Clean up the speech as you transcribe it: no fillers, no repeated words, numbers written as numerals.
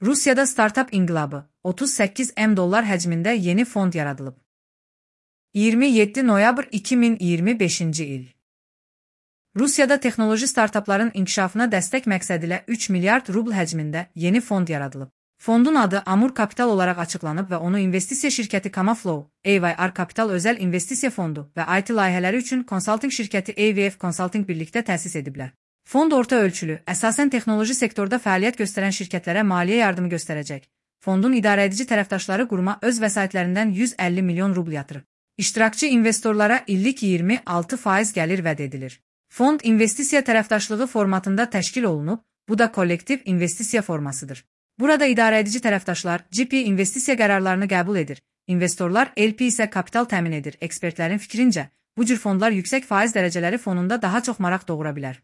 Rusiyada startup inqilabı, 38 M dollar həcmində yeni fond yaradılıb. 27 noyabr 2025-ci il. Rusiyada texnoloji startapların inkişafına dəstək məqsədilə 3 milyard rubl həcmində yeni fond yaradılıb. Fondun adı Amur Kapital olaraq açıqlanıb və onu investisiya şirkəti Kamaflow, AYR Kapital özəl investisiya fondu və IT layihələri üçün konsalting şirkəti AVF Consulting birlikdə təsis ediblər. Fond orta ölçülü, əsasən texnoloji sektorda fəaliyyət göstərən şirkətlərə maliyyə yardımı göstərəcək. Fondun idarəedici tərəfdaşları quruma öz vəsaitlərindən 150 milyon rubl yatırıb. İştirakçı investorlara illik 26% gəlir vəd edilir. Fond investisiya tərəfdaşlığı formatında təşkil olunub, bu da kollektiv investisiya formasıdır. Burada idarəedici tərəfdaşlar GP investisiya qərarlarını qəbul edir, investorlar LP isə kapital təmin edir. Ekspertlərin fikrincə, bu cür fondlar yüksək faiz dərəcələri fonunda daha çox maraq doğura bilər.